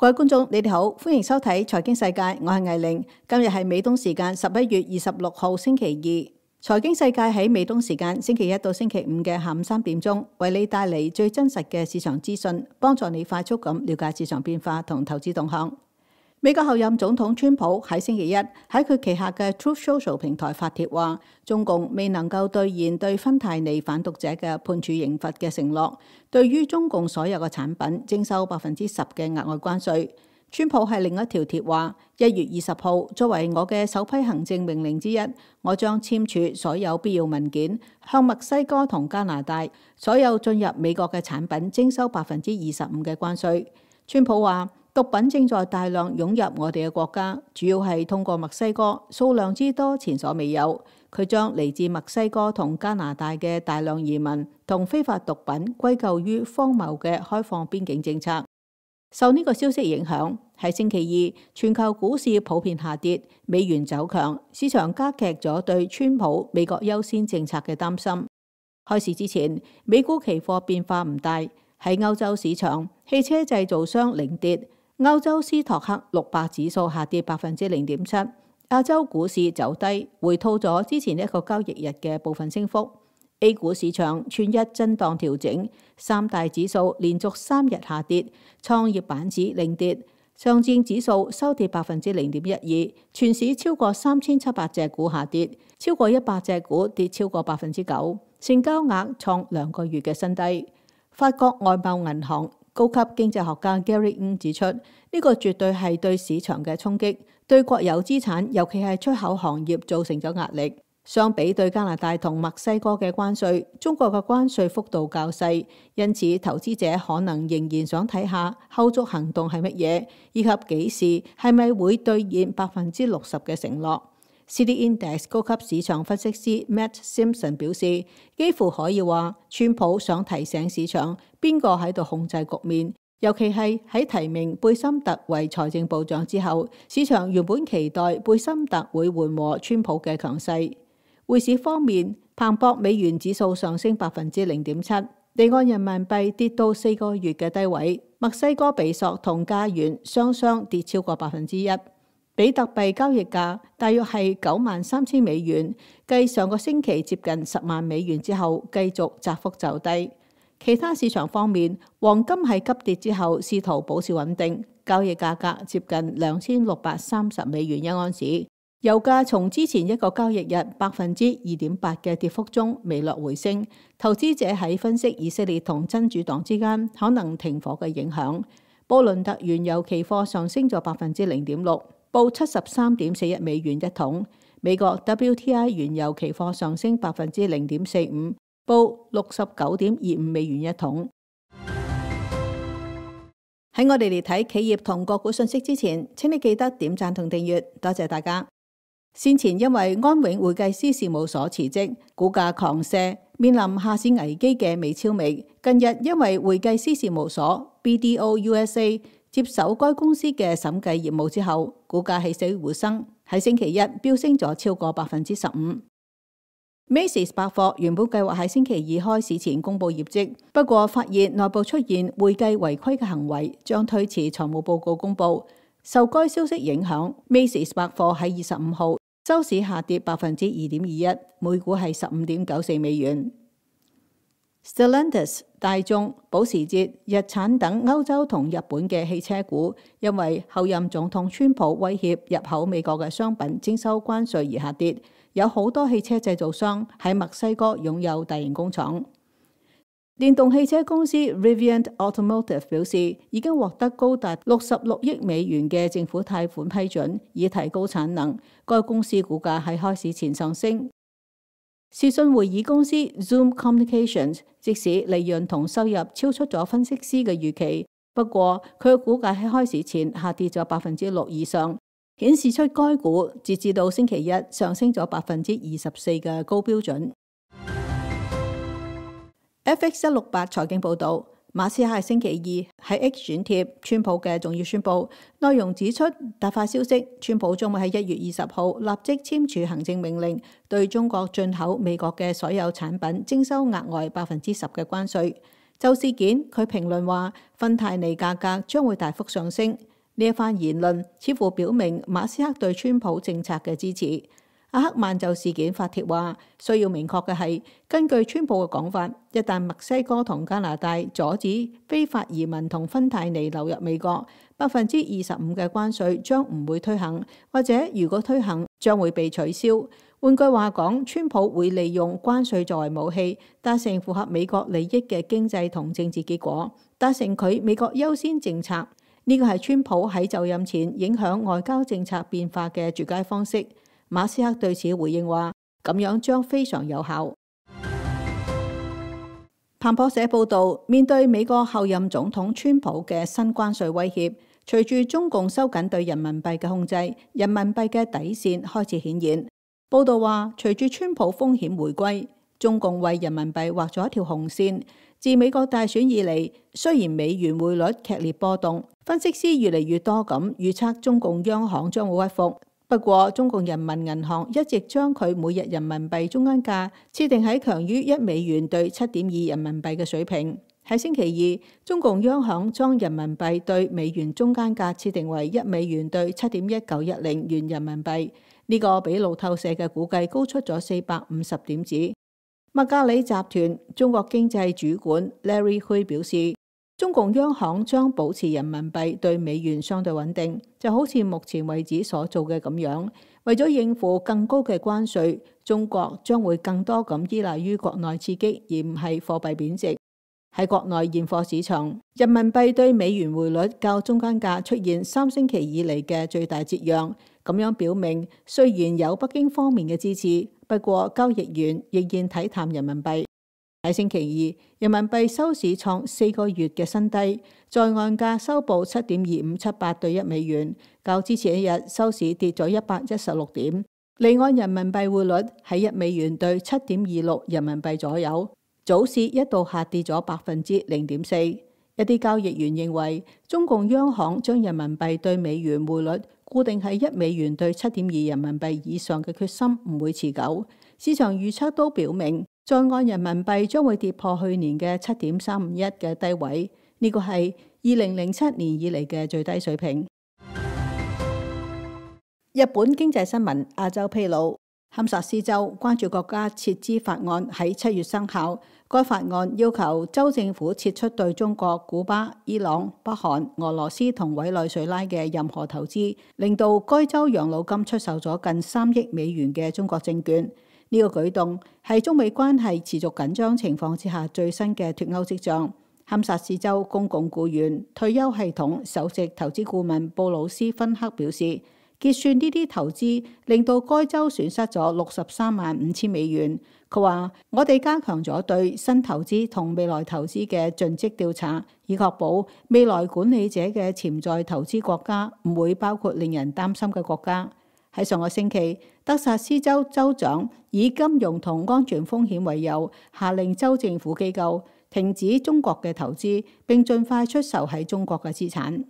各位觀眾，你哋好，歡迎收睇財經世界，我係魏玲。今日係美東時間11月26號星期二。財經世界喺美東時間星期一到星期五嘅下午3點鐘，為你帶嚟最真實嘅市場資訊，幫助你快速咁了解市場變化同投資動向。美國候任總統川普喺星期一喺佢旗下嘅 Truth Social 平台發帖話，中共未能夠兌現對芬太尼販毒者嘅判處刑罰嘅承諾，對於中共所有嘅產品徵收10%嘅額外關稅。川普喺另一條帖話，1月20號作為我嘅首批行政命令之一，我將簽署所有必要文件，向墨西哥同加拿大所有進入美國嘅產品徵收25%嘅關稅。川普話，毒品正在大量湧入我哋嘅國家，主要係通過墨西哥，數量之多前所未有。佢將嚟自墨西哥同加拿大嘅大量移民同非法毒品歸咎於荒謬嘅開放邊境政策。受呢個消息影響，喺星期二，全球股市普遍下跌，美元走強，市場加劇咗對川普美國優先政策嘅擔心。開市之前，美股期貨變化唔大，喺歐洲市場，汽車製造商領跌。歐洲斯托克600指數下跌0.7%，亞洲股市走低，回吐咗之前一個交易日嘅部分升幅。A 股市場全日震盪調整，三大指數連續3日下跌，創業板指領跌，上證指數收跌0.12%，全市超過3700隻股下跌，超過100隻股跌超過9%，成交額創2個月嘅新低。法國外貿銀行高級經濟學家 Gary Ng 指出，呢個絕對係對市場嘅衝擊，對國有資產，尤其係出口行業造成咗壓力。相比對加拿大同墨西哥嘅關稅，中國嘅關稅幅度較細，因此投資者可能仍然想睇下後續行動係乜嘢，以及幾時係咪會兌現60%嘅承諾。City Index 高級市場分析師 Matt Simpson 表示，幾乎可以話，川普想提醒市場邊個喺度控制局面，尤其係喺提名貝森特為財政部長之後，市場原本期待貝森特會緩和川普嘅強勢。匯市方面，彭博美元指數上升0.7%，離岸人民幣跌到4個月嘅低位，墨西哥比索同加元雙跌超過1%。比特幣交易價大約係93,000美元，繼上個星期接近10萬美元之後，繼續窄幅走低。其他市場方面，黃金喺急跌之後試圖保持穩定，交易價格接近2630美元一盎司。油價從之前一個交易日2.8%嘅跌幅中微略回升，投資者喺分析以色列同真主黨之間可能停火嘅影響。布倫特原油期貨上升咗0.6%，報73.41美元一桶。美國 WTI 原油期貨上升0.45%，報69.25美元一桶。喺我哋嚟睇企業同個股信息之前，請你記得點讚同訂閱，多謝大家。先前因為安永會計師事務所辭職，股價狂瀉，面臨下市危機嘅美超微，近日因為會計師事務所 BDO USA 接手該公司嘅審計業務之後，股價起死回生，喺星期一飆升咗超過15%。Macy's 百貨原本計劃喺星期二開市前公布業績，不過發現內部出現會計違規嘅行為，將推遲財務報告公布。受該消息影響， Macy's 百貨喺25號收市下跌2.21%，每股係15.94美元。Stellantis、大眾、保時捷、日產等歐洲同日本嘅汽車股，因為後任總統川普威脅入口美國嘅商品徵收關稅而下跌。有好多汽車製造商喺墨西哥擁有大型工廠。電動汽車公司 Rivian Automotive 表示，已經獲得高達66億美元嘅政府貸款批准，以提高產能。該公司股價喺開市前上升。視訊會議公司 Zoom Communications 即使利潤同收入超出咗分析師嘅預期，不過佢嘅股價喺開市前下跌咗6%以上，顯示出該股截至到星期一上升咗24%嘅高標準。FX168 財經報導，馬斯克喺星期二喺 X 轉貼川普嘅重要宣佈，內容指出突發消息，川普將會喺1月20號立即簽署行政命令，對中國進口美國嘅所有產品徵收額外10%嘅關稅。就事件，佢評論話，芬太尼價格將會大幅上升。呢一番言論似乎表明馬斯克對川普政策嘅支持。阿克曼就事件發帖話，需要明確嘅係，根據川普嘅講法，一旦墨西哥同加拿大阻止非法移民同芬太尼流入美國，25%嘅關稅將唔會推行，或者如果推行，將會被取消。換句話講，川普會利用關稅作為武器，達成符合美國利益嘅經濟同政治結果，達成佢美國優先政策。呢個係川普喺就任前影響外交政策變化嘅絕佳方式。馬斯克對此回應話，咁樣將非常有效。彭博社報導，面對美國後任總統川普嘅新關稅威脅，隨住中共收緊對人民幣嘅控制，人民幣嘅底線開始顯現。報導話，隨住川普風險回歸，中共為人民幣畫咗一條紅線。自美國大選以嚟，雖然美元匯率劇烈波動，分析師越嚟越多咁預測中共央行將會屈服。不過，中共人民銀行一直將佢每日人民幣中間價設定喺強於1美元對7.2人民幣嘅水平。喺星期二，中共央行將人民幣對美元中間價設定為1美元對7.1910元人民幣，呢個比路透社嘅估計高出咗450點子。麥格里集團中國經濟主管 Larry Hui 表示，中共央行將保持人民幣對美元相對穩定，就好似目前為止所做嘅咁樣。為咗應付更高嘅關稅，中國將會更多咁依賴於國內刺激，而唔係貨幣貶值。喺國內現貨市場，人民幣對美元匯率較中間價出現3星期以嚟嘅最大折讓，咁樣表明雖然有北京方面嘅支持，不過交易員仍然睇淡人民幣。喺星期二，人民幣收市創4個月嘅新低，在岸價收報7.2578對1美元，較之前一日收市跌咗116點。離岸人民幣匯率喺1美元對7.26人民幣左右，早市一度下跌咗0.4%。一啲交易員認為，中共央行將人民幣對美元匯率固定喺1美元對7.2人民幣以上嘅決心唔會持久。市場預測都表明，在岸人民幣將會跌破去年嘅7.351嘅低位，呢個係2007年以嚟嘅最低水平。日本經濟新聞亞洲披露，堪薩斯州關注國家撤資法案喺7月生效。該法案要求州政府撤出對中國、古巴、伊朗、北韓、俄羅斯同委內瑞拉嘅任何投資，令到該州養老金出售咗近3億美元嘅中國證券。呢個舉動係中美關係持續緊張情況之下最新嘅脫歐跡象。堪薩斯州公共僱員退休系統首席投資顧問布魯斯芬克表示，結算呢啲投資令到該州損失咗63.5萬美元。佢話：我哋加強咗對新投資同未來投資嘅盡職調查，以確保未來管理者嘅潛在投資國家唔會包括令人擔心嘅國家。喺上個星期，德薩斯州州長以金融同安全風險為由，下令州政府機構停止中國嘅投資，並盡快出售喺中國嘅資產。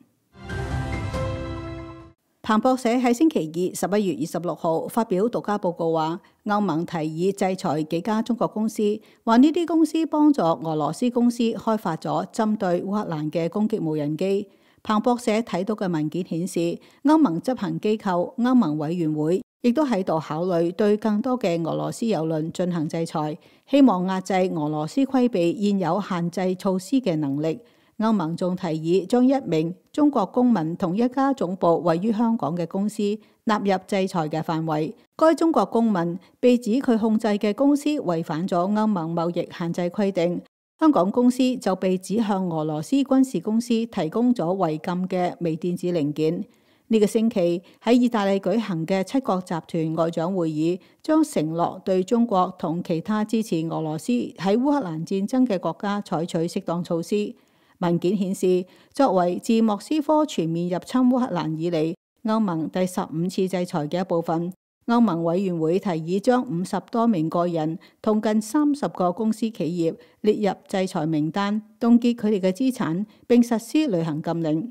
彭博社喺星期二11月26號發表獨家報告話，歐盟提議制裁幾家中國公司，話呢啲公司幫助俄羅斯公司開發咗針對烏克蘭嘅攻擊無人機。彭博社睇到嘅文件顯示，歐盟執行機構歐盟委員會亦都喺度考慮對更多嘅俄羅斯郵輪進行制裁，希望壓制俄羅斯規避現有限制措施嘅能力。歐盟仲提議將1名中國公民同一家總部位於香港嘅公司納入制裁嘅範圍。該中國公民被指佢控制嘅公司違反咗歐盟貿易限制規定。香港公司就被指向俄羅斯軍事公司提供咗違禁嘅微電子零件。呢個星期喺意大利舉行嘅7國集團外長會議，將承諾對中國同其他支持俄羅斯喺烏克蘭戰爭嘅國家採取適當措施。文件顯示，作為自莫斯科全面入侵烏克蘭以嚟，歐盟第15次制裁嘅一部分，歐盟委員會提議將50多名個人同近30個公司企業列入制裁名單，凍結佢哋嘅資產，並實施旅行禁令。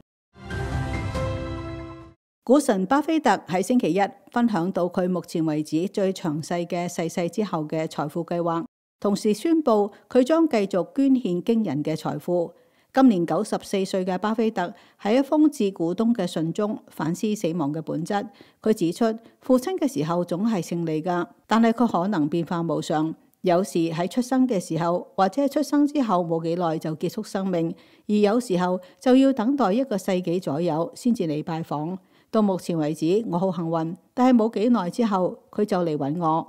股神巴菲特喺星期一分享到佢目前為止最詳細嘅逝世之後嘅財富計劃，同時宣布佢將繼續捐獻驚人嘅財富。今年94歲嘅巴菲特喺一封致股東嘅信中反思死亡嘅本質。佢指出，父親嘅時候總係勝利㗎，但係佢可能變化無常。有時喺出生嘅時候，或者係出生之後冇幾耐就結束生命，而有時候就要等待1個世紀左右先至嚟拜訪。到目前為止，我好幸運，但係冇幾耐之後，佢就嚟揾我。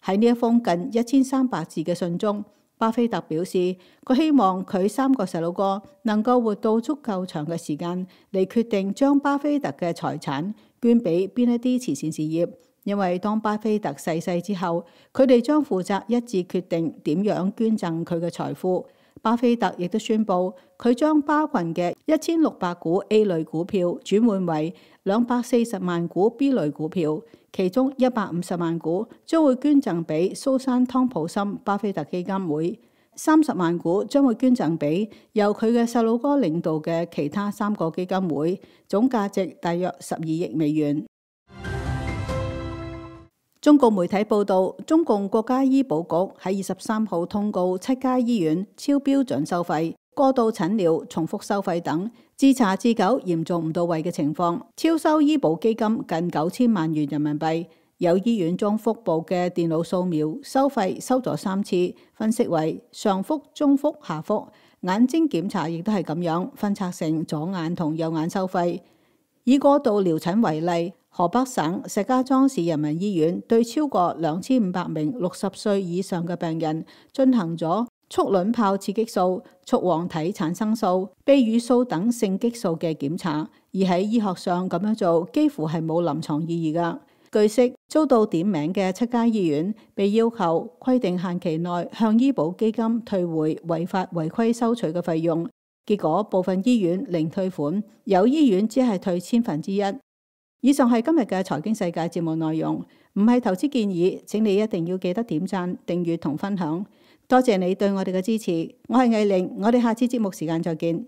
喺呢一封近1300字嘅信中，巴菲特表示佢希望佢3個細佬哥能夠活到足夠長嘅時間嚟決定將巴菲特嘅財產捐俾邊一啲慈善事業。因為當巴菲特逝世之後，佢哋將負責一致決定點樣捐贈佢嘅財富。巴菲特亦都宣布，佢將巴群嘅1600股 A 類股票轉換為240萬股 B 類股票，其中150萬股將會捐贈俾蘇珊湯普森巴菲特基金會，30萬股將會捐贈俾由佢嘅細佬哥領導嘅其他3個基金會，總價值大約12億美元。中共媒體報道，中共國家醫保局喺23號通告7家醫院超標準收費、過度診療、重複收費等，自查自糾嚴重唔到位嘅情況，超收醫保基金近9000萬元人民幣。有醫院將腹部嘅電腦掃描收費收咗3次，分析為上腹、中腹、下腹。眼睛檢查亦都係咁樣，分拆成左眼同右眼收費。以過度療診為例，河北省石家莊市人民醫院對超過2500名60歲以上嘅病人進行咗促卵泡刺激素、促黃體產生素、泌乳素等性激素嘅檢查，而喺醫學上咁樣做幾乎係冇臨床意義㗎。據悉，遭到點名嘅7家醫院被要求規定限期內向醫保基金退回違法違規收取嘅費用，結果部分醫院零退款，有醫院只係退1/1000。以上係今日嘅財經世界節目內容，唔係投資建議，請你一定要記得點讚、訂閱同分享。多謝你對我哋嘅支持，我係藝玲，我哋下次節目時間再見。